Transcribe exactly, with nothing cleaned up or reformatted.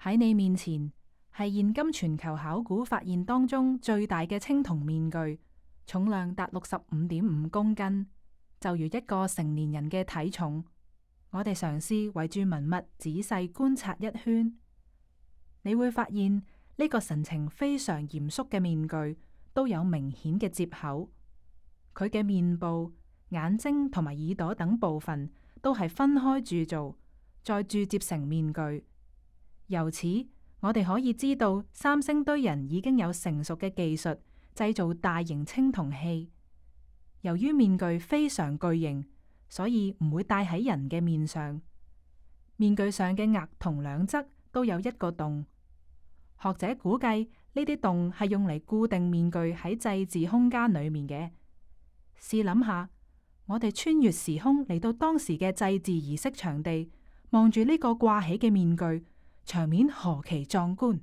喺你面前係現今全球考古發現當中最大嘅青銅面具，重量達六十五點五公斤，就如一個成年人嘅體重。我哋嘗試圍住文物仔細觀察一圈，你會發現呢個神情非常嚴肅嘅面具都有明顯嘅接口，佢嘅面部、眼睛同埋耳朵等部分都係分開鑄造，再鑄接成面具。由此，我哋可以知道三星堆人已經有成熟嘅技術製造大型青銅器。由於面具非常巨型，所以唔會戴喺人嘅面上。面具上嘅額同兩側都有一個洞。學者估計呢啲洞係用嚟固定面具喺祭祀空間裏面嘅。試諗下，我哋穿越時空嚟到當時嘅祭祀儀式場地，望住呢個掛起嘅面具，場面何其壯觀！